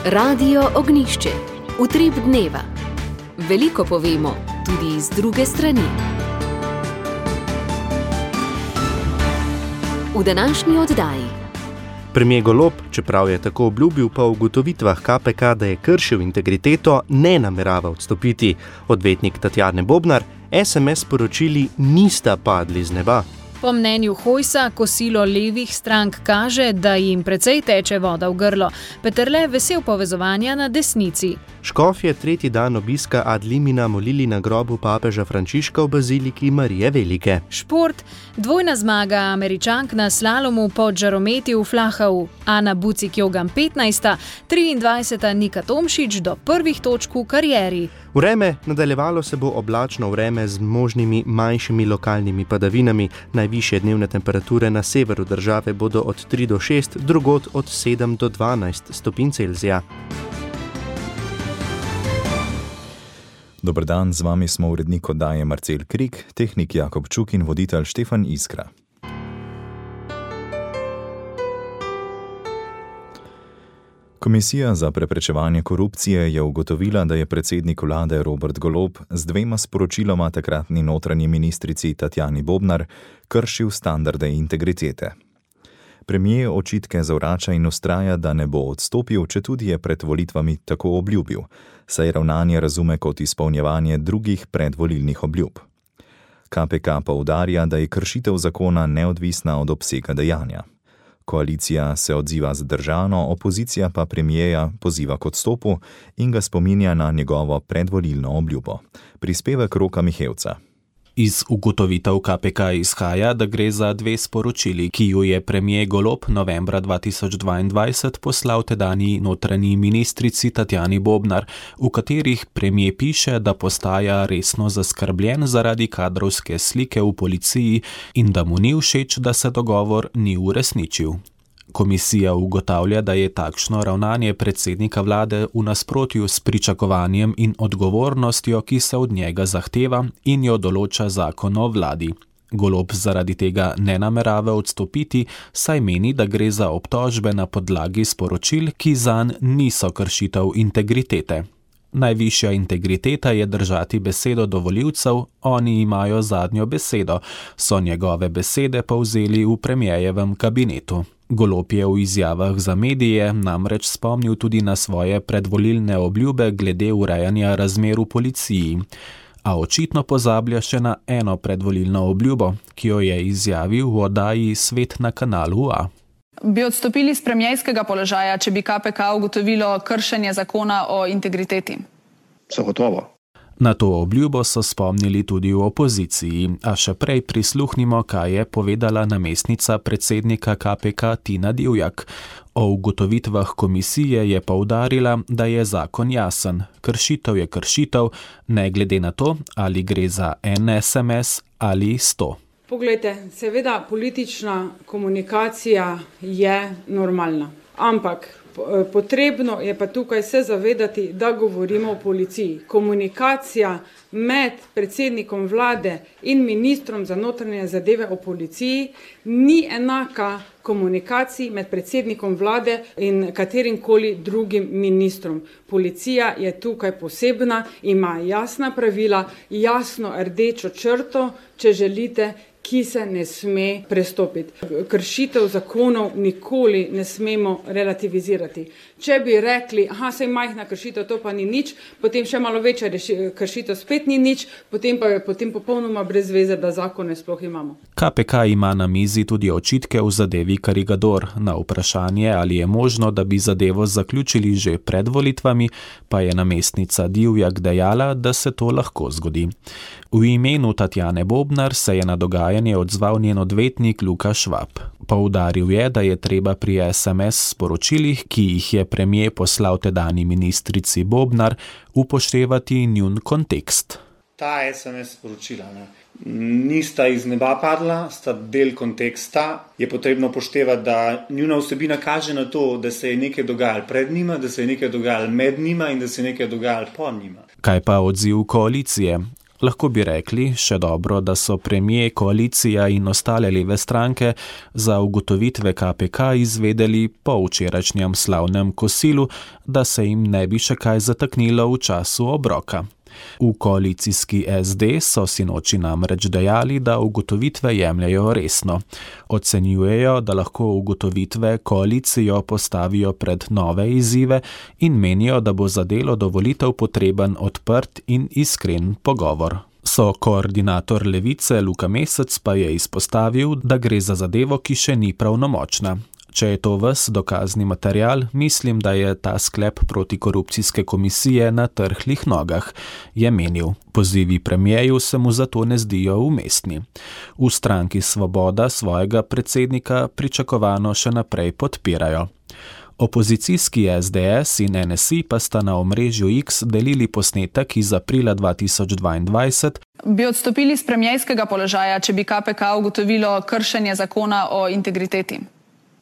Radio Ognišče, utrip dneva. Veliko povemo, tudi iz druge strani. V današnji oddaji. Premier Golob, čeprav je tako obljubil, pa v ugotovitvah KPK, da je kršil integriteto, ne namerava odstopiti. Odvetnik Tatjane Bobnar, SMS sporočili nista padli z neba. Po mnenju Hojsa, kosilo levih strank kaže, da jim precej teče voda v grlo. Peterle vesel povezovanja na desnici. Škofje tretji dan obiska ad limina molili na grobu papeža Frančiška v baziliki Marije Velike. Šport, dvojna zmaga Američank na slalomu pod žarometi v Flachau. Ana Bucik-Jogan 15., 23. Nika Tomšič do prvih točk v karieri. Vreme, nadaljevalo se bo oblačno vreme z možnimi manjšimi lokalnimi padavinami. Najvišje dnevne temperature na severu države bodo od 3 do 6, drugod od 7 do 12 stopinj Celzija. Dober dan, z vami smo urednik oddaje Marcel Krik, tehnik Jakob Čuk in voditelj Štefan Iskra. Komisija za preprečevanje korupcije je ugotovila, da je predsednik vlade Robert Golob z dvema sporočiloma takratni notranji ministrici Tatjani Bobnar kršil standarde integritete. Premier očitke zavrača in vztraja, da ne bo odstopil, četudi je pred volitvami tako obljubil, saj ravnanje razume kot izpolnjevanje drugih predvolilnih obljub. KPK poudarja, da je kršitev zakona neodvisna od obsega dejanja. Koalicija se odziva zadržano, opozicija pa premierja poziva k odstopu in ga spominja na njegovo predvolilno obljubo. Prispevek Roka Mihevca. Iz ugotovitev KPK izhaja, da gre za dve sporočili, ki ju je premier Golob novembra 2022 poslal tedanji notranji ministrici Tatjani Bobnar, v katerih premier piše, da postaja resno zaskrbljen zaradi kadrovske slike v policiji in da mu ni všeč, da se dogovor ni uresničil. Komisija ugotavlja, da je takšno ravnanje predsednika vlade v nasprotju s pričakovanjem in odgovornostjo, ki se od njega zahteva in jo določa zakon o vladi. Golob zaradi tega ne namerava odstopiti, saj meni, da gre za obtožbe na podlagi sporočil, ki zanj niso kršitev integritete. Najvišja integriteta je držati besedo do volivcev, oni imajo zadnjo besedo, so njegove besede povzeli v premierjevem kabinetu. Golob je v izjavah za medije namreč spomnil tudi na svoje predvolilne obljube glede urejanja razmer v policiji. A očitno pozablja še na eno predvolilno obljubo, ki jo je izjavil v oddaji Svet na kanalu A. Bi odstopili z premierskega položaja, če bi KPK ugotovilo kršenje zakona o integriteti? Zagotovo. Na to obljubo so spomnili tudi v opoziciji, a še prej prisluhnimo, kaj je povedala namestnica predsednika KPK Tina Divjak. O ugotovitvah komisije je poudarila, da je zakon jasen. Kršitev je kršitev, ne glede na to, ali gre za en SMS ali 100. Poglejte, seveda politična komunikacija je normalna, ampak potrebno je pa tukaj se zavedati, da govorimo o policiji. Komunikacija med predsednikom vlade in ministrom za notranje zadeve o policiji ni enaka komunikaciji med predsednikom vlade in katerimkoli drugim ministrom. Policija je tukaj posebna, ima jasna pravila, jasno rdečo črto, če želite, ki se ne sme prestopiti. Kršitev zakonov nikoli ne smemo relativizirati. Če bi rekli, saj majhna kršitev, to pa ni nič, potem še malo večja kršitev spet ni nič, potem pa je popolnoma brez veze, da zakone sploh imamo. KPK ima na mizi tudi očitke v zadevi Karigador. Na vprašanje, ali je možno, da bi zadevo zaključili že pred volitvami, pa je namestnica Divjak dejala, da se to lahko zgodi. V imenu Tatjane Bobnar se je na dogajanje odzval njen odvetnik Luka Švab. Poudaril je, da je treba pri SMS sporočilih, ki jih je premier poslal tedanji ministrici Bobnar, upoštevati njun kontekst. Ta SMS sporočila nista iz neba padla, sta del konteksta. Je potrebno upoštevati, da njuna vsebina kaže na to, da se je nekaj dogajalo pred njima, da se je nekaj dogajalo med njima in da se je nekaj dogajalo po njima. Kaj pa odziv koalicije? Lahko bi rekli, še dobro, da so premijer, koalicija in ostale leve stranke za ugotovitve KPK izvedeli po včerajšnjem slavnem kosilu, da se jim ne bi še kaj zataknilo v času obroka. V koalicijski SD so sinoči namreč dejali, da ugotovitve jemljajo resno. Ocenjujejo, da lahko ugotovitve koalicijo postavijo pred nove izzive in menijo, da bo za delo do volitev potreben odprt in iskren pogovor. Koordinator Levice Luka Mesec pa je izpostavil, da gre za zadevo, ki še ni pravnomočna. Če je to ves dokazni material, mislim, da je ta sklep protikorupcijske komisije na trhlih nogah, je menil. Pozivi premijeju se mu zato ne zdijo umestni. V stranki Svoboda svojega predsednika pričakovano še naprej podpirajo. Opozicijski SDS in NSI pa sta na omrežju X delili posnetek iz aprila 2022. Bi odstopili z premijskega položaja, če bi KPK ugotovilo kršenje zakona o integriteti?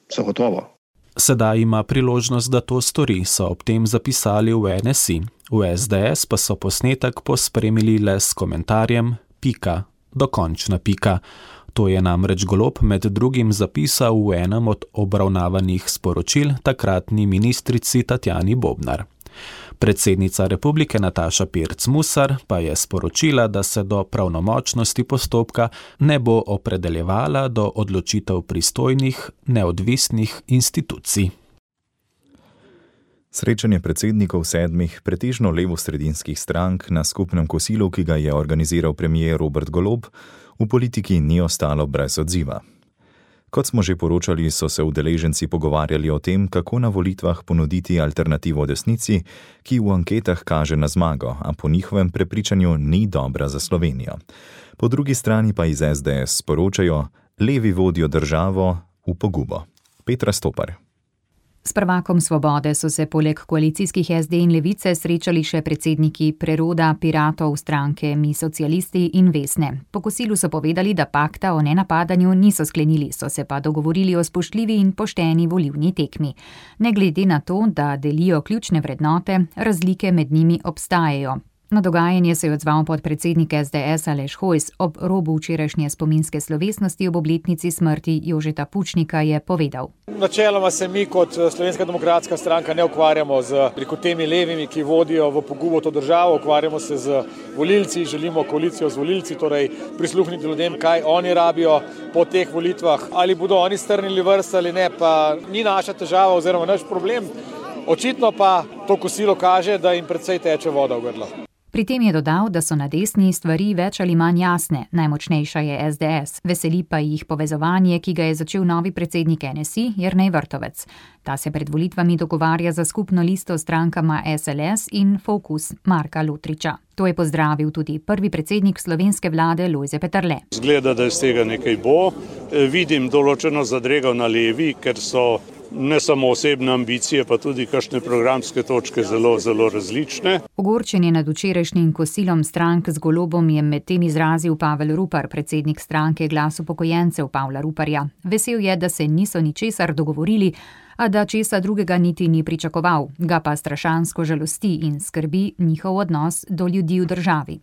Zagotovo. Sedaj ima priložnost, da to stori, so ob tem zapisali v NSI. V SDS pa so posnetek pospremili le s komentarjem pika, dokončna pika. To je namreč Golob med drugim zapisal v enem od obravnavanih sporočil takratni ministrici Tatjani Bobnar. Predsednica republike Nataša Pirc Musar pa je sporočila, da se do pravnomočnosti postopka ne bo opredeljevala do odločitev pristojnih, neodvisnih institucij. Srečanje predsednikov 7 pretežno levosredinskih strank na skupnem kosilu, ki ga je organiziral premier Robert Golob, v politiki ni ostalo brez odziva. Kot smo že poročali, so se udeleženci pogovarjali o tem, kako na volitvah ponuditi alternativo desnici, ki v anketah kaže na zmago, a po njihovem prepričanju ni dobra za Slovenijo. Po drugi strani pa iz SDS sporočajo, levi vodijo državo v pogubo. Petra Stopar. S prvakom Svobode so se poleg koalicijskih SD in Levice srečali še predsedniki Preroda, Piratov, stranke Mi socialisti in Vesne. Po kosilu so povedali, da pakta o nenapadanju niso sklenili, so se pa dogovorili o spoštljivi in pošteni volilni tekmi. Ne glede na to, da delijo ključne vrednote, razlike med njimi obstajajo. Na dogajanje se je odzval podpredsednik SDS Aleš Hojs. Ob robu včerajšnje spominske slovesnosti ob obletnici smrti Jožeta Pučnika je povedal. Načeloma se mi kot Slovenska demokratska stranka ne ukvarjamo z temi levimi, ki vodijo v pogubo to državo, ukvarjamo se z volilci, želimo koalicijo z volilci, torej prisluhniti ljudem, kaj oni rabijo po teh volitvah. Ali bodo oni strnili vrste ali ne, pa ni naša težava oziroma naš problem. Očitno pa to kosilo kaže, da jim precej teče voda v grlo. Pri tem je dodal, da so na desni stvari več ali manj jasne, najmočnejša je SDS. Veseli pa jih povezovanje, ki ga je začel novi predsednik NSI, Jernej Vrtovec. Ta se pred volitvami dogovarja za skupno listo strankama SLS in Fokus Marka Lotriča. To je pozdravil tudi prvi predsednik slovenske vlade Lojze Peterle. Zgleda, da iz tega nekaj bo. Vidim določeno zadrego na levi, ker so ne samo osebne ambicije, pa tudi kakšne programske točke zelo, zelo različne. Ogorčenje nad včerajšnjim kosilom strank z Golobom je med tem izrazil Pavel Rupar, predsednik stranke Glas upokojencev Pavla Ruparja. Vesel je, da se niso ničesar dogovorili, a da česa drugega niti ni pričakoval, ga pa strašansko žalosti in skrbi njihov odnos do ljudi v državi.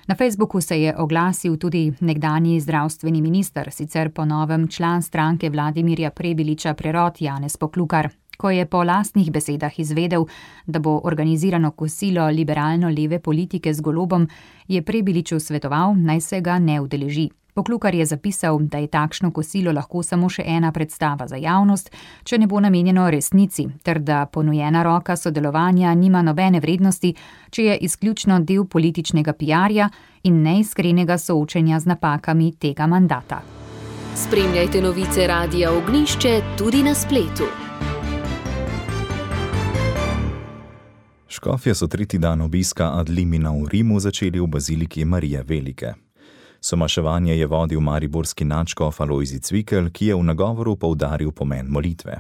Na Facebooku se je oglasil tudi nekdanji zdravstveni minister, sicer po novem član stranke Vladimirja Prebiliča Prerod Janez Poklukar. Ko je po lastnih besedah izvedel, da bo organizirano kosilo liberalno-leve politike z Golobom, je Prebiliču svetoval, naj se ga ne udeleži. Poklukar je zapisal, da je takšno kosilo lahko samo še ena predstava za javnost, če ne bo namenjeno resnici, ter da ponujena roka sodelovanja nima nobene vrednosti, če je izključno del političnega PR-ja in neiskrenega soočenja z napakami tega mandata. Spremljajte novice Radia Ognjišče tudi na spletu. Škofje so tretji dan obiska ad limina v Rimu začeli v baziliki Marije Velike. Somaševanje je vodil mariborski nadškof Alojzij Cvikl, ki je v nagovoru poudaril pomen molitve.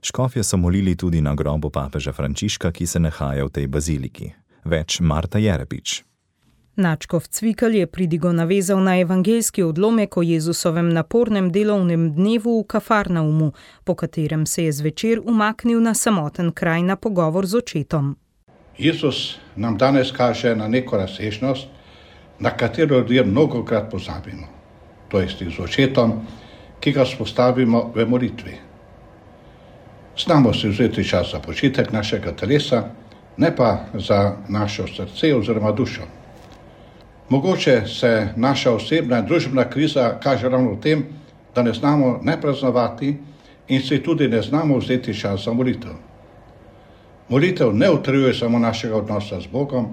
Škofje so molili tudi na grobu papeža Frančiška, ki se nahaja v tej baziliki. Več Marta Jerepič. Nadškof Cvikl je pridigo navezal na evangeljski odlomek o Jezusovem napornem delovnem dnevu v Kafarnaumu, po katerem se je zvečer umaknil na samoten kraj na pogovor z očetom. Jezus nam danes kaže na neko razsežnost, na katero ljudje mnogokrat pozabimo, to je z očetom, ki ga spostavimo v molitvi. Znamo si vzeti čas za počitek našega telesa, ne pa za naše srce oziroma dušo. Mogoče se naša osebna in družbena kriza kaže ravno v tem, da ne znamo ne praznovati in si tudi ne znamo vzeti čas za molitev. Molitev ne utrjuje samo našega odnosa z Bogom,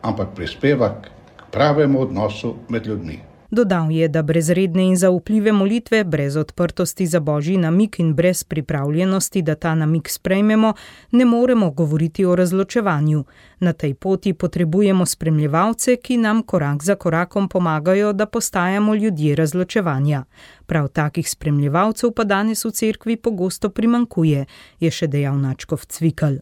ampak prispeva k pravemu odnosu med ljudmi. Dodal je, da brez redne in zaupljive molitve, brez odprtosti za Božji namig in brez pripravljenosti, da ta namig sprejmemo, ne moremo govoriti o razločevanju. Na tej poti potrebujemo spremljevalce, ki nam korak za korakom pomagajo, da postajamo ljudje razločevanja. Prav takih spremljevalcev pa danes v cerkvi pogosto primanjkuje, je še dejal nadškof Cvikl.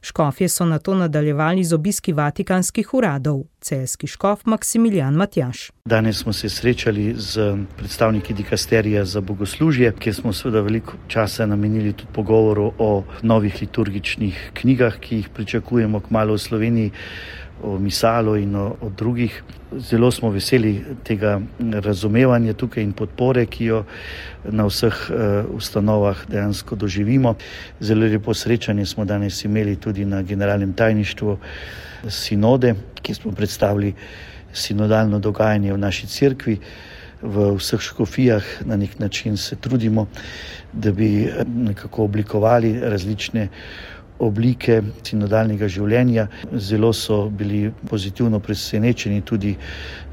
Škofje so nato nadaljevali z obiski vatikanskih uradov. Celjski škof Maksimilijan Matjaž. Danes smo se srečali z predstavniki dikasterija za bogoslužje, kjer smo seveda veliko časa namenili tudi pogovoru o novih liturgičnih knjigah, ki jih pričakujemo kmalu v Sloveniji, o misalu in o drugih. Zelo smo veseli tega razumevanja tukaj in podpore, ki jo na vseh ustanovah dejansko doživimo. Zelo lepo srečanje smo danes imeli tudi na generalnem tajništvu sinode, kjer smo predstavili sinodalno dogajanje v naši cerkvi. V vseh škofijah na nek način se trudimo, da bi nekako oblikovali različne oblike sinodalnega življenja. Zelo so bili pozitivno presenečeni tudi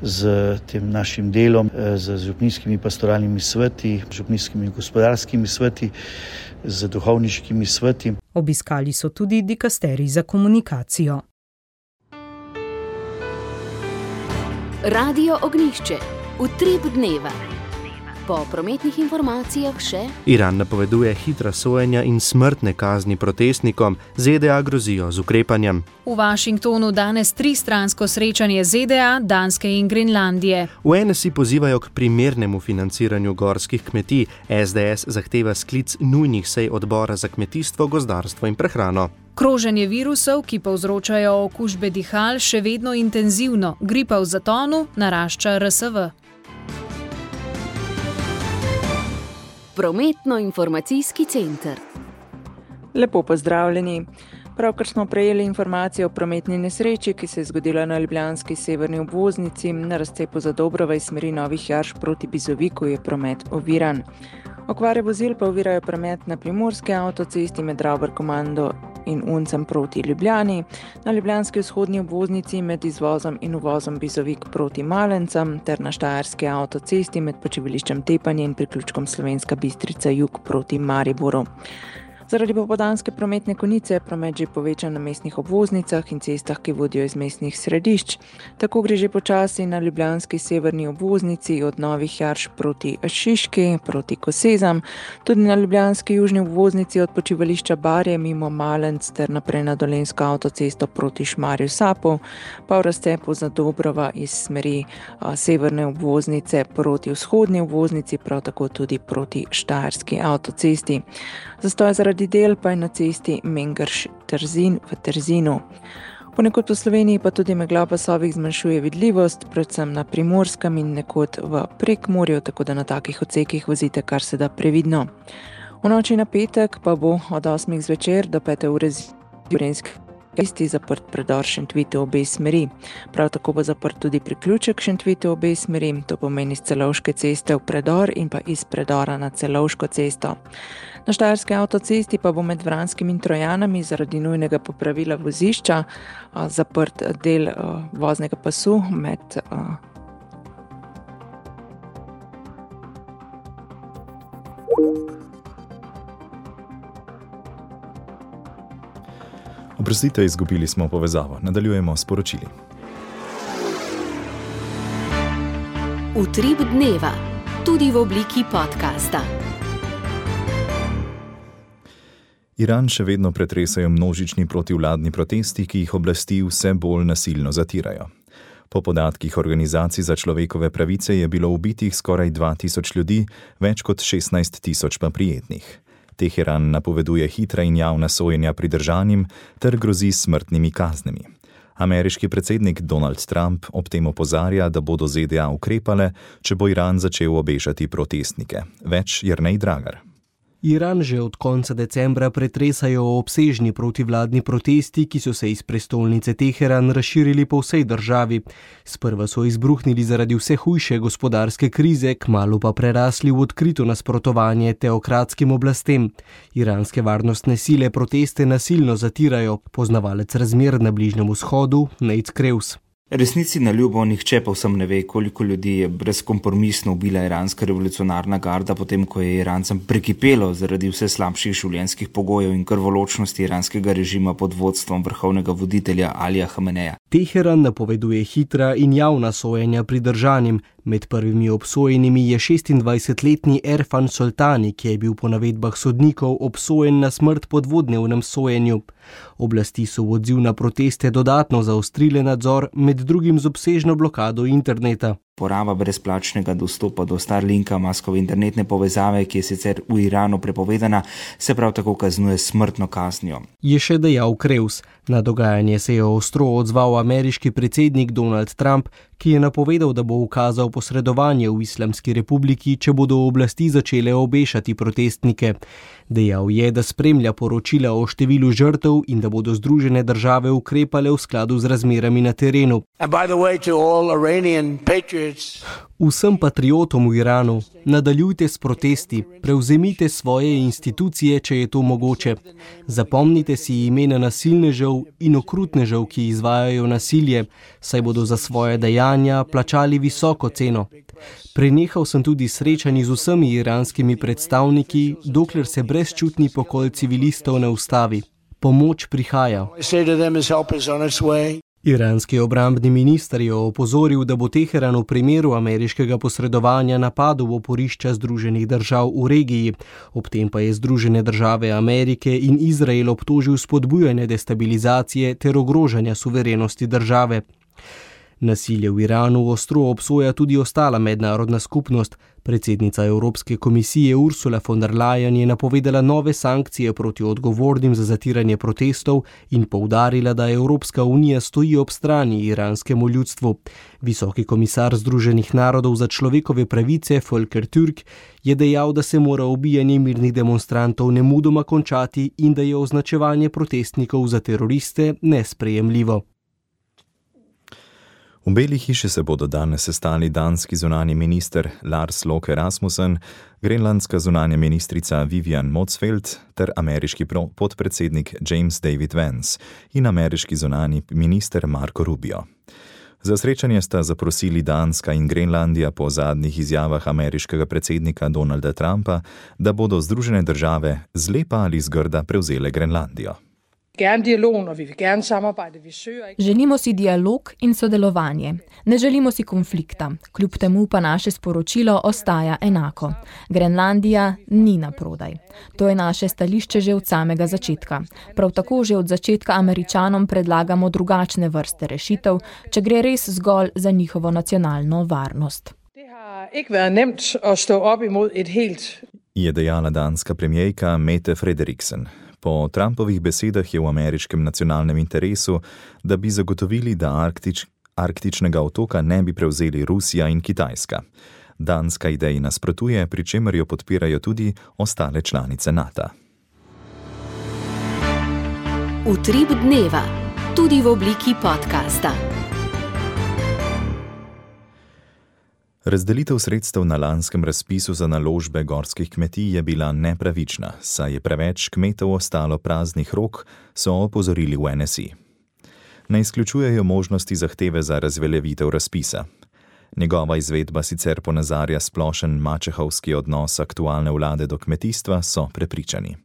z tem našim delom, z župnijskimi pastoralnimi sveti, župnijskimi gospodarskimi sveti, z duhovniškimi sveti. Obiskali so tudi dikasterij za komunikacijo. Radio Ognjišče. Utrip dneva. Po prometnih informacijah še: Iran napoveduje hitra sojenja in smrtne kazni protestnikom, ZDA grozijo z ukrepanjem. V Washingtonu danes tristransko srečanje ZDA, Danske in Grenlandije. V NSI pozivajo k primernemu financiranju gorskih kmetij, SDS zahteva sklic nujnih sej odbora za kmetijstvo, gozdarstvo in prehrano. Kroženje virusov, ki povzročajo okužbe dihal, še vedno intenzivno. Gripa v zatonu, narašča RSV. Prometno-informacijski center. Lepo pozdravljeni. Pravkar smo prejeli informacije o prometni nesreči, ki se je zgodila na ljubljanski severni obvoznici. Na razcepu Zadobrova iz smeri Novih Jarš proti Bizoviku je promet oviran. Okvare vozil pa ovirajo promet na primorski avtocesti med Ravbar-Komando in Uncem proti Ljubljani, na ljubljanski vzhodni obvoznici med izvozom in uvozom Bizovik proti Malencem ter na štajerski avtocesti med počivališčem Tepanje in priključkom Slovenska Bistrica jug proti Mariboru. Zaradi popoldanske prometne konice je promet že povečan na mestnih obvoznicah in cestah, ki vodijo iz mestnih središč. Tako gre že počasi na ljubljanski severni obvoznici od Novih Jarš proti Šiški, proti Kosezam, tudi na ljubljanski južni obvoznici od počivališča Barje mimo Malenc ter naprej na dolenjsko avtocesto proti Šmarju Sapu, pa v razcepu Zadobrova iz smeri severne obvoznice proti vzhodni obvoznici, prav tako tudi proti štajerski avtocesti. Zastoj zaradi del pa je na cesti Mengrš-Trzin v Trzinu. Ponekod po Sloveniji pa tudi megla pasovih zmanjšuje vidljivost, predvsem na Primorskem in nekod v Prekmurju, tako da na takih odsekih vozite kar se da previdno. V noči na petek pa bo od 8 zvečer do 5 ure zjutraj zaprt predor Šentvitu obe smeri. Prav tako bo zaprt tudi priključek Šentvitu obe smeri, to pomeni z Celovške ceste v predor in pa iz predora na Celovško cesto. Na štajerski avtocesti pa bo med Vranskim in Trojanami zaradi nujnega popravila vozišča zaprt del voznega pasu med Oprostite, izgubili smo povezavo. Nadaljujemo s poročili. Utrip dneva, tudi v obliki podcasta. Iran še vedno pretresajo množični protivladni protesti, ki jih oblasti vse bolj nasilno zatirajo. Po podatkih organizacij za človekove pravice je bilo ubitih skoraj 2000 ljudi, več kot 16 000 pa prijetnih. Teheran napoveduje hitra in javna sojenja pridržanim ter grozi smrtnimi kaznimi. Ameriški predsednik Donald Trump ob tem opozarja, da bodo ZDA ukrepale, če bo Iran začel obešati protestnike. Več Jernej Dragar. Iran že od konca decembra pretresajo obsežni protivladni protesti, ki so se iz prestolnice Teheran razširili po vsej državi. Sprva so izbruhnili zaradi vse hujše gospodarske krize, kmalu pa prerasli v odkrito nasprotovanje teokratskim oblastem. Iranske varnostne sile proteste nasilno zatirajo, poznavalec razmer na Bližnjem vzhodu Nate Kreus. Resnici na ljubo nihče povsem ne ve, koliko ljudi je brezkompromisno ubila iranska revolucionarna garda, potem ko je Irancem prekipelo zaradi vse slabših življenjskih pogojev in krvoločnosti iranskega režima pod vodstvom vrhovnega voditelja Alija Hameneja. Teheran napoveduje hitra in javna sojenja pridržanim. Med prvimi obsojenimi je 26-letni Erfan Soltani, ki je bil po navedbah sodnikov obsojen na smrt po dvodnevnem sojenju. Oblasti so v odziv na proteste dodatno zaostrile nadzor, med drugim z obsežno blokado interneta. Poraba brezplačnega dostopa do Starlinka, Muskove internetne povezave, ki je sicer v Iranu prepovedana, se prav tako kaznuje smrtno kaznijo. Je še dejal Kreus. Na dogajanje se je ostro odzval ameriški predsednik Donald Trump, ki je napovedal, da bo ukazal posredovanje v Islamski republiki, če bodo oblasti začele obešati protestnike. Dejal je, da spremlja poročila o številu žrtev in da bodo Združene države ukrepale v skladu z razmerami na terenu. Vsem patriotom v Iranu, nadaljujte s protesti, prevzemite svoje institucije, če je to mogoče. Zapomnite si imena nasilnežev in okrutnežev, ki izvajajo nasilje, saj bodo za svoje dejanja plačali visoko ceno. Prenehal sem tudi srečanji z vsemi iranskimi predstavniki, dokler se brezčutni pokol civilistov ne ustavi. Pomoč prihaja. Iranski obrambni minister je opozoril, da bo Teheran v primeru ameriškega posredovanja napadel oporišča Združenih držav v regiji. Ob tem pa je Združene države Amerike in Izrael obtožil spodbujanje destabilizacije ter ogrožanja suverenosti države. Nasilje v Iranu ostro obsoja tudi ostala mednarodna skupnost. Predsednica Evropske komisije Ursula von der Leyen je napovedala nove sankcije proti odgovornim za zatiranje protestov in poudarila, da Evropska unija stoji ob strani iranskemu ljudstvu. Visoki komisar Združenih narodov za človekove pravice Volker Türk je dejal, da se mora ubijanje mirnih demonstrantov nemudoma končati in da je označevanje protestnikov za teroriste nesprejemljivo. V Beli hiši se bodo danes sestali danski zunanji minister Lars Løkke Rasmussen, grenlandska zunanja ministrica Vivian Motzfeldt ter ameriški podpredsednik James David Vance in ameriški zunanji minister Marco Rubio. Za srečanje sta zaprosili Danska in Grenlandija po zadnjih izjavah ameriškega predsednika Donalda Trumpa, da bodo Združene države zlepa ali zgrda prevzele Grenlandijo. Želimo si dialog in sodelovanje. Ne želimo si konflikta. Kljub temu pa naše sporočilo ostaja enako. Grenlandija ni naprodaj. To je naše stališče že od samega začetka. Prav tako že od začetka Američanom predlagamo drugačne vrste rešitev, če gre res zgolj za njihovo nacionalno varnost. Je dejala danska premijerka Mette Frederiksen. Po Trumpovih besedah je v ameriškem nacionalnem interesu, da bi zagotovili, da arktičnega otoka ne bi prevzeli Rusija in Kitajska. Danska ideji nasprotuje, pri čemer jo podpirajo tudi ostale članice NATO. Utrip dneva, tudi v obliki podcasta. Razdelitev sredstev na lanskem razpisu za naložbe gorskih kmetij je bila nepravična, saj je preveč kmetov ostalo praznih rok, so opozorili v NSI. Ne izključujejo možnosti zahteve za razveljavitev razpisa. Njegova izvedba sicer ponazarja splošen mačehovski odnos aktualne vlade do kmetijstva, so prepričani.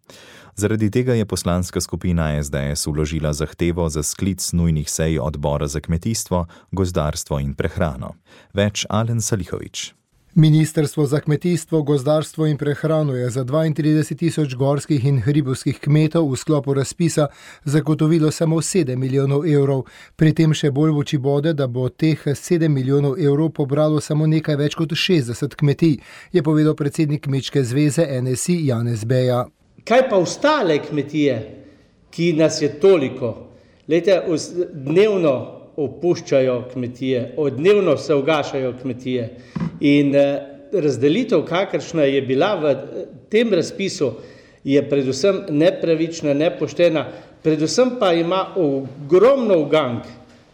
Zaradi tega je poslanska skupina SDS vložila zahtevo za sklic nujnih sej odbora za kmetijstvo, gozdarstvo in prehrano. Več Alen Salihović. Ministrstvo za kmetijstvo, gozdarstvo in prehrano je za 32.000 gorskih in hribovskih kmetov v sklopu razpisa zagotovilo samo 7 milijonov evrov. Pri tem še bolj v oči bode, da bo teh 7 milijonov evrov pobralo samo nekaj več kot 60 kmetij, je povedal predsednik Kmečke zveze NSI Janez Beja. Kaj pa ostale kmetije, ki nas je toliko? Glejte, dnevno opuščajo kmetije, dnevno se ugašajo kmetije in razdelitev, kakršna je bila v tem razpisu, je predvsem nepravična, nepoštena, predvsem pa ima ogromno ugank.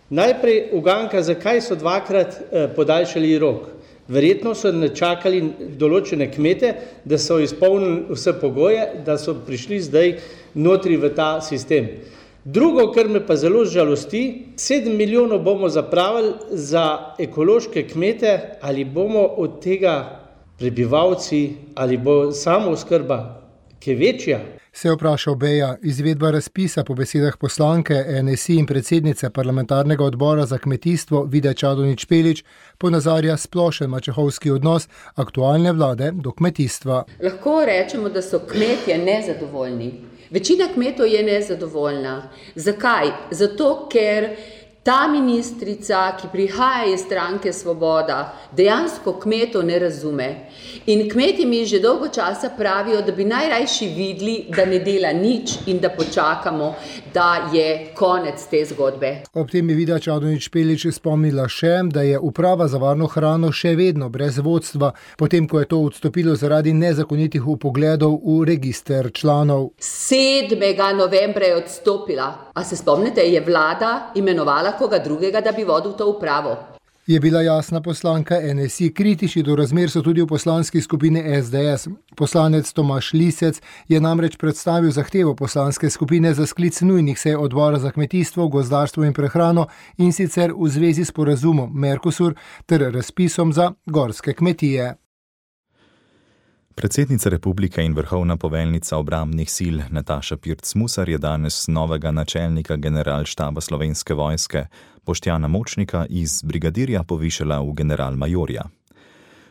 Najprej uganka, zakaj so dvakrat podaljšali rok. Verjetno so načakali določene kmete, da so izpolnili vse pogoje, da so prišli zdaj notri v ta sistem. Drugo, kar me pa zelo žalosti, 7 milijonov bomo zapravili za ekološke kmete, ali bomo od tega prebivalci, ali bo samooskrba, ki je večja. Se je vprašal Beja. Izvedba razpisa po besedah poslanke NSI in predsednice parlamentarnega odbora za kmetijstvo Vide Čadonič Špelič ponazarja splošen mačehovski odnos aktualne vlade do kmetijstva. Lahko rečemo, da so kmetje nezadovoljni. Večina kmetov je nezadovoljna. Zakaj? Zato, ker ta ministrica, ki prihaja iz stranke Svoboda, dejansko kmetov ne razume. In kmetje mi že dolgo časa pravijo, da bi najrajši videli, da ne dela nič in da počakamo, da je konec te zgodbe. Ob tem je Vida Čadonič Špelič spomnila še, da je uprava za varno hrano še vedno brez vodstva, potem ko je to odstopilo zaradi nezakonitih vpogledov v register članov. 7. novembra je odstopila. A se spomnite, je vlada imenovala koga drugega, da bi vodil to upravo. Je bila jasna poslanka NSI. Kritični do razmer so tudi v poslanski skupini SDS. Poslanec Tomaž Lisec je namreč predstavil zahtevo poslanske skupine za sklic nujnih sej odbora za kmetijstvo, gozdarstvo in prehrano, in sicer v zvezi s sporazumom Mercosur ter razpisom za gorske kmetije. Predsednica republike in vrhovna poveljnica obrambnih sil Nataša Pirc Musar je danes novega načelnika generalštaba Slovenske vojske Boštjana Močnika iz brigadirja povišala v generalmajorja.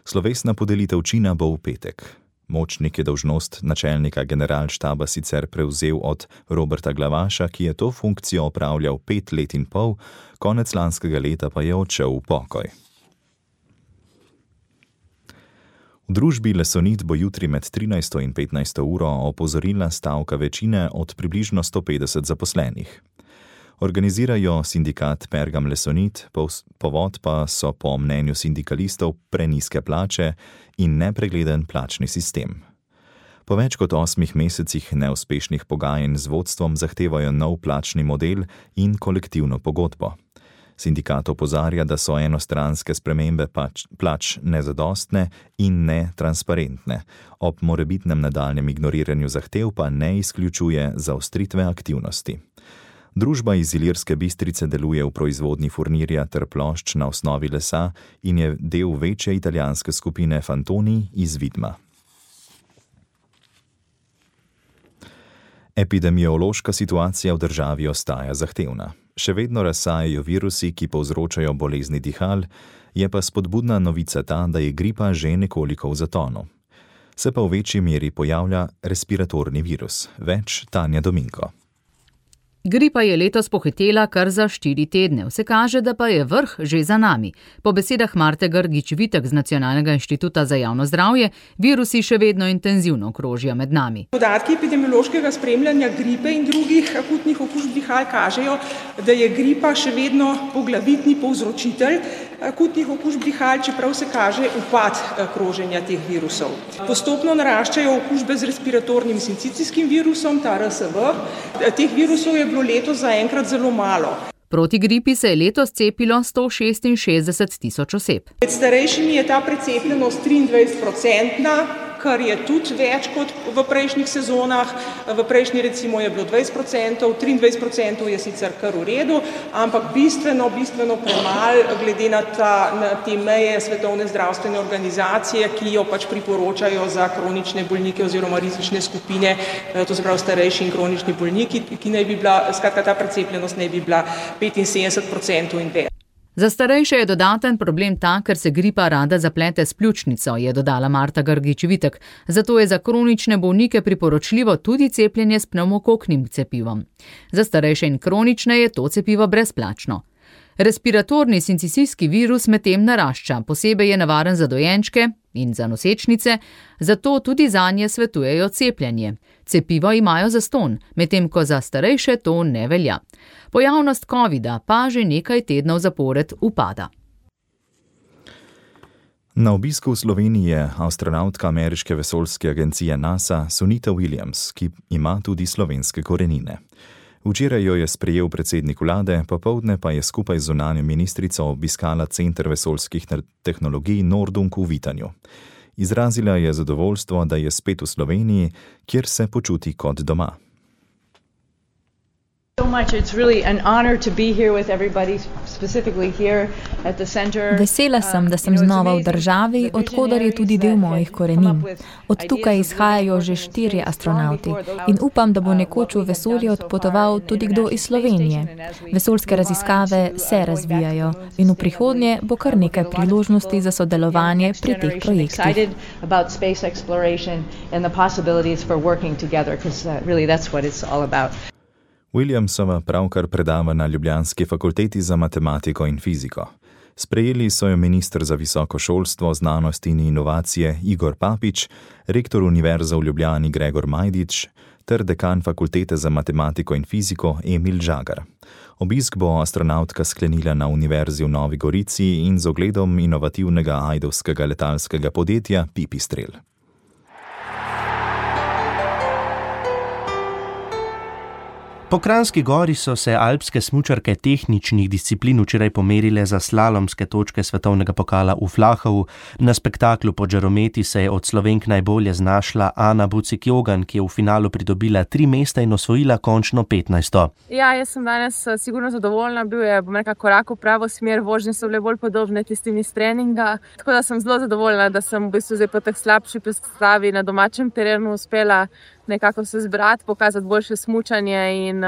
Slovesna podelitev čina bo v petek. Močnik je dolžnost načelnika generalštaba sicer prevzel od Roberta Glavaša, ki je to funkcijo opravljal 5 let in pol, konec lanskega leta pa je odšel v pokoj. V družbi Lesonit bo jutri med 13. in 15. uro opozorila stavka večine od približno 150 zaposlenih. Organizirajo sindikat Pergam Lesonit, povod pa so po mnenju sindikalistov prenizke plače in nepregleden plačni sistem. Po več kot 8 mesecih neuspešnih pogajanj z vodstvom zahtevajo nov plačni model in kolektivno pogodbo. Sindikat opozarja, da so enostranske spremembe plač nezadostne in netransparentne. Ob morebitnem nadaljnjem ignoriranju zahtev pa ne izključuje zaostritve aktivnosti. Družba iz Ilirske Bistrice deluje v proizvodnji furnirja ter plošč na osnovi lesa in je del večje italijanske skupine Fantoni iz Vidma. Epidemiološka situacija v državi ostaja zahtevna. Še vedno razsajajo virusi, ki povzročajo bolezni dihal, je pa spodbudna novica ta, da je gripa že nekoliko v zatonu. Se pa v večji meri pojavlja respiratorni virus. Več Tanja Dominko. Gripa je letos pohitela kar za 4 tedne, vse kaže, da pa je vrh že za nami. Po besedah Marte Grgič-Vitek z Nacionalnega inštituta za javno zdravje, virusi še vedno intenzivno krožijo med nami. Podatki epidemiološkega spremljanja gripe in drugih akutnih okužb dihal kažejo, da je gripa še vedno poglavitni povzročitelj akutnih okužb dihal, čeprav se kaže upad kroženja teh virusov. Postopno naraščajo okužbe z respiratornim sincicijskim virusom, ta RSV. Teh virusov je bilo letos zaenkrat zelo malo. Proti gripi se je letos cepilo 166 tisoč oseb. Med starejšimi je ta precepljenost 23%, kar je tudi več kot v prejšnjih sezonah. V prejšnji recimo je bilo 20%, 23% je sicer kar v redu, ampak bistveno premalo glede na te meje Svetovne zdravstvene organizacije, ki jo pač priporočajo za kronične bolnike oziroma rizične skupine, to se pravi starejši in kronični bolniki, ki naj bi bila, skratka ta precepljenost naj bi bila 75% in več. Za starejše je dodaten problem ta, ker se gripa rada zaplete s pljučnico, je dodala Marta Grgič-Vitek. Zato je za kronične bolnike priporočljivo tudi cepljenje s pnevmokoknim cepivom. Za starejše in kronične je to cepivo brezplačno. Respiratorni sincicijski virus medtem narašča, posebej je nevaren za dojenčke, in za nosečnice, zato tudi zanje svetujejo cepljenje. Cepivo imajo zastonj, medtem ko za starejše to ne velja. Pojavnost covida pa že nekaj tednov zapored upada. Na obisku v Sloveniji je astronautka ameriške vesoljske agencije NASA Sunita Williams, ki ima tudi slovenske korenine. Včeraj jo je sprejel predsednik vlade, popoldne pa je skupaj z zunanjo ministrico obiskala Center vesoljskih tehnologij Nordung v Vitanju. Izrazila je zadovoljstvo, da je spet v Sloveniji, kjer se počuti kot doma. Vesela sem, da sem znova v državi, odkudar je tudi del mojih korenin. Od tukaj izhajajo že 4 astronauti in upam, da bo nekoč v vesolje odpotoval tudi kdo iz Slovenije. Vesoljske raziskave se razvijajo in v prihodnje bo kar nekaj priložnosti za sodelovanje pri teh projektih. Williamsova pravkar predava na ljubljanski fakulteti za matematiko in fiziko. Sprejeli so jo minister za visoko šolstvo, znanost in inovacije Igor Papič, rektor Univerze v Ljubljani Gregor Majdič ter dekan fakultete za matematiko in fiziko Emil Žagar. Obisk bo astronautka sklenila na Univerzi v Novi Gorici in z ogledom inovativnega ajdovskega letalskega podjetja Pipistrel. Po Kranjski gori so se alpske smučarke tehničnih disciplin včeraj pomerile za slalomske točke svetovnega pokala v Flahovu. Na spektaklu pod žarometi se je od Slovenk najbolje znašla Ana Bucik-Jogan, ki je v finalu pridobila 3 mesta in osvojila končno 15. Ja, jaz sem danes sigurno zadovoljna. Bil je, korak v pravo smer, vožnje so bile bolj podobne tistim iz treninga. Tako da sem zelo zadovoljna, da sem v bistvu zdaj po teh slabši predstavi na domačem terenu uspela nekako se zbrati, pokazati boljše smučanje in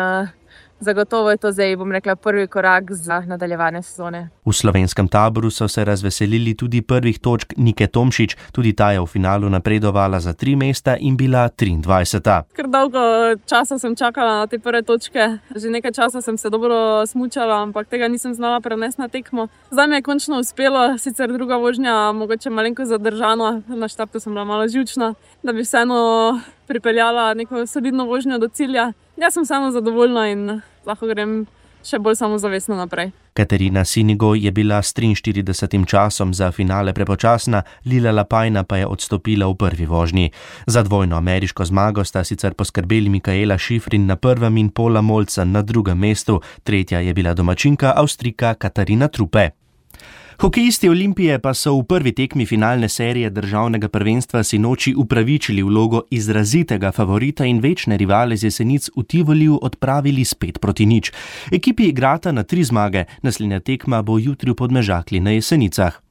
zagotovo je to zdaj, prvi korak za nadaljevanje sezone. V slovenskem taboru so se razveselili tudi prvih točk Nike Tomšič, tudi ta je v finalu napredovala za 3 mesta in bila 23. Kar dolgo časa sem čakala na te prve točke, že nekaj časa sem se dobro smučala, ampak tega nisem znala prenesti na tekmo. Zdaj mi je končno uspelo, sicer druga vožnja, mogoče malenkost zadržana, na štartu sem bila malo živčna, da bi vseeno pripeljala neko solidno vožnjo do cilja. Jaz sem samo zadovoljna in lahko grem še bolj samozavestno naprej. Katarina Sinigo je bila s 43. časom za finale prepočasna, Lila Lapajna pa je odstopila v prvi vožnji. Za dvojno ameriško zmago sta sicer poskrbeli Mikaela Šifrin na prvem in Paula Molzen na drugem mestu, tretja je bila domačinka Avstrijka Katarina Trupe. Hokejisti Olimpije pa so v prvi tekmi finalne serije državnega prvenstva sinoči upravičili vlogo izrazitega favorita in večne rivale z Jesenic v Tivoliju odpravili s 5-0. Ekipi igrata na 3 zmage, naslednja tekma bo jutri v Podmežakli na Jesenicah.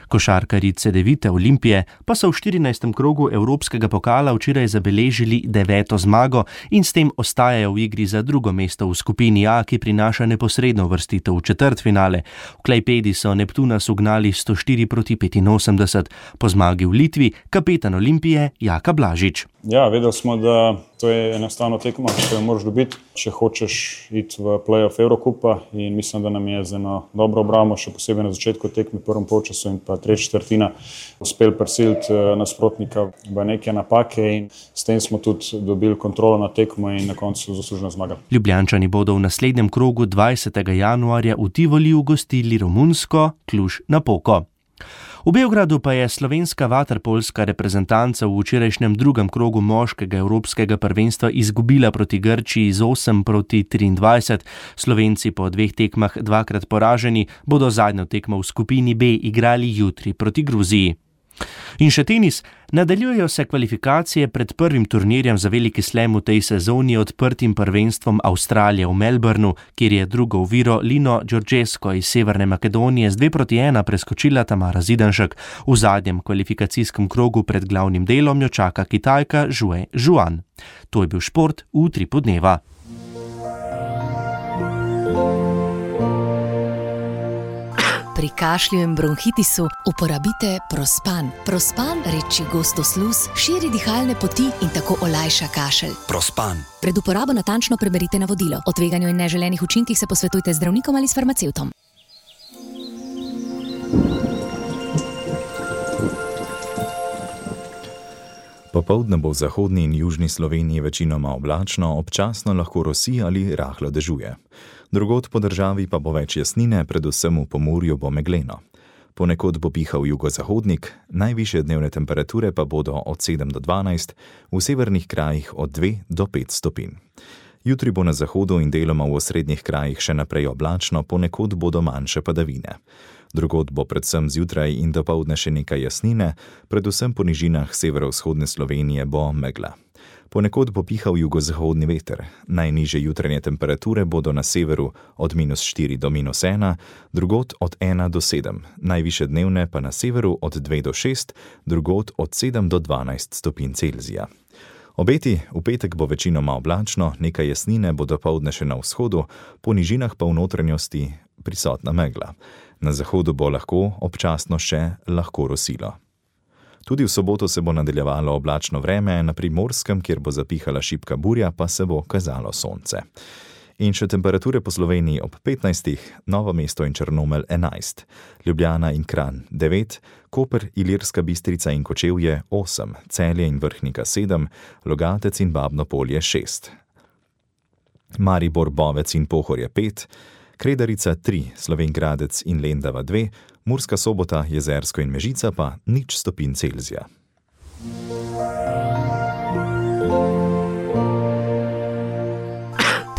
Košarkarji Cedevite Olimpije pa so v 14. krogu Evropskega pokala včeraj zabeležili 9. zmago in s tem ostajajo v igri za drugo mesto v skupini A, ki prinaša neposredno uvrstitev v četrtfinale. V Klajpedi so Neptuna ugnali 104-85. Po zmagi v Litvi kapetan Olimpije Jaka Blažič. Ja, vedeli smo, da to je enostavno tekma, ki jo moraš dobiti, če hočeš iti v play-off Evrokupa in mislim, da nam je z eno dobro obrambo, še posebej na začetku tekme, prvem polčasu in pa tretja četrtina, uspel prisiliti nasprotnika v neke napake in s tem smo tudi dobili kontrolo na tekmo in na koncu zaslužno zmagali. Ljubljančani bodo v naslednjem krogu 20. januarja v Tivoliju gostili romunsko Cluj-Napoko. V Beogradu pa je slovenska vaterpolska reprezentanca v včerajšnjem drugem krogu moškega evropskega prvenstva izgubila proti Grčiji z 8-23. Slovenci po 2 tekmah 2-krat poraženi bodo zadnjo tekmo v skupini B igrali jutri proti Gruziji. In še tenis. Nadaljujejo se kvalifikacije pred prvim turnirjem za veliki slam v tej sezoni odprtim prvenstvom Avstralije v Melbournu, kjer je drugo oviro Lino Đorđesko iz Severne Makedonije z 2-1 preskočila Tamara Zidanšek. V zadnjem kvalifikacijskem krogu pred glavnim delom jo čaka Kitajka Zhue Zhuan. To je bil šport v Utripu dneva. Pri kašlju in bronhitisu uporabite Prospan. Prospan reči gosto sluz, širi dihalne poti in tako olajša kašelj. Prospan. Pred uporabo natančno preberite navodilo. O tveganju in neželenih učinkih se posvetujte z zdravnikom ali s farmacevtom. Popoldne bo v zahodni in južni Sloveniji večinoma oblačno, občasno lahko rosi ali rahlo dežuje. Drugod po državi pa bo več jasnine, predvsem v Pomurju bo megleno. Ponekod bo pihal jugozahodnik, najvišje dnevne temperature pa bodo od 7 do 12, v severnih krajih od 2 do 5 stopinj. Jutri bo na zahodu in deloma v osrednjih krajih še naprej oblačno, ponekod bodo manjše padavine. Drugod bo predvsem zjutraj in dopoldne še nekaj jasnine, predvsem po nižinah severovzhodne Slovenije bo megla. Ponekod bo pihal jugozahodni veter. Najnižje jutranje temperature bodo na severu od -4 do -1, drugod od 1 do 7, najvišje dnevne pa na severu od 2 do 6, drugod od 7 do 12 stopinj Celzija. Obeti, v petek bo večinoma oblačno, nekaj jasnine bo dopoldne še na vzhodu, po nižinah pa v notranjosti prisotna megla. Na zahodu bo lahko občasno še lahko rosilo. Tudi v soboto se bo nadaljevalo oblačno vreme, na Primorskem, kjer bo zapihala šibka burja, pa se bo kazalo sonce. In še temperature po Sloveniji ob 15, Novo mesto in Črnomelj 11, Ljubljana in Kranj 9, Koper, Ilirska Bistrica in Kočevje 8, Celje in Vrhnika 7, Logatec in Babno Polje 6, Maribor, Bovec in Pohorje 5, Kredarica 3, Slovenj Gradec in Lendava 2, Murska Sobota, Jezersko in Mežica pa 0 stopinj Celzija.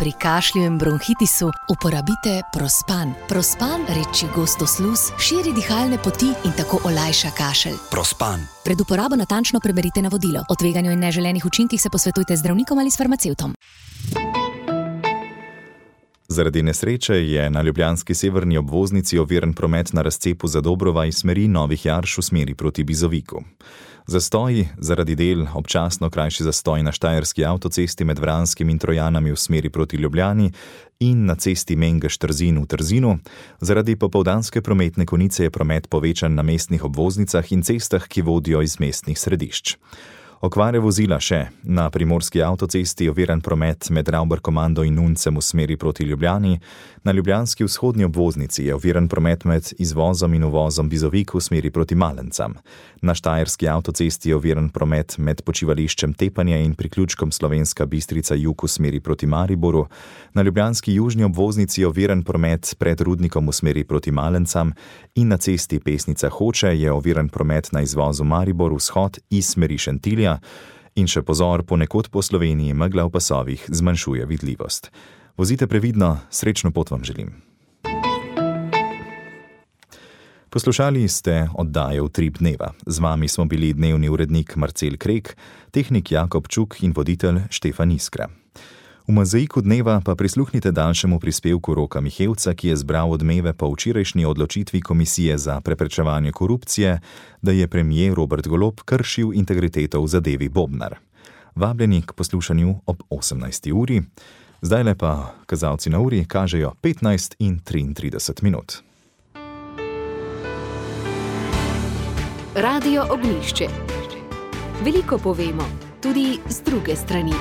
Pri kašlju in bronhitisu uporabite Prospan. Prospan reči gosto sluz, širi dihalne poti in tako olajša kašelj. Prospan. Pred uporabo natančno preberite navodilo. O tveganju in neželenih učinkih se posvetujte z zdravnikom ali s farmacevtom. Zaradi nesreče je na ljubljanski severni obvoznici oviran promet na razcepu Zadobrova iz smeri Novih Jarš v smeri proti Bizoviku. Zastoji zaradi del, občasno krajši zastoj na štajerski avtocesti med Vranskim in Trojanami v smeri proti Ljubljani in na cesti Mengeš-Trzin v Trzinu. Zaradi popoldanske prometne konice je promet povečan na mestnih obvoznicah in cestah, ki vodijo iz mestnih središč. Okvare vozila še. Na primorski avtocesti je oviran promet med Ravbar-Komando in Nuncem v smeri proti Ljubljani. Na ljubljanski vzhodni obvoznici je oviran promet med izvozom in uvozom Bizovik v smeri proti Malencam. Na štajerski avtocesti je oviran promet med počivališčem Tepanje in priključkom Slovenska Bistrica jug v smeri proti Mariboru. Na ljubljanski južni obvoznici je oviran promet pred Rudnikom v smeri proti Malencam in na cesti Pesnica Hoče je oviran promet na izvozu Maribor vzhod iz smeri Šentilja. In še pozor, ponekod po Sloveniji megla v pasovih zmanjšuje vidljivost. Vozite previdno, srečno pot vam želim. Poslušali ste oddajo Utrip dneva. Z vami smo bili dnevni urednik Marcel Krek, tehnik Jakob Čuk in voditelj Štefan Iskra. V mozaiku dneva pa prisluhnite daljšemu prispevku Roka Mihevca, ki je zbral odmeve po včerajšnji odločitvi Komisije za preprečevanje korupcije, da je premier Robert Golob kršil integriteto v zadevi Bobnar. Vabljeni k poslušanju ob 18. uri. Zdajle pa kazalci na uri kažejo 15 in 33 minut. Radio Ognjišče. Veliko povemo, tudi z druge strani.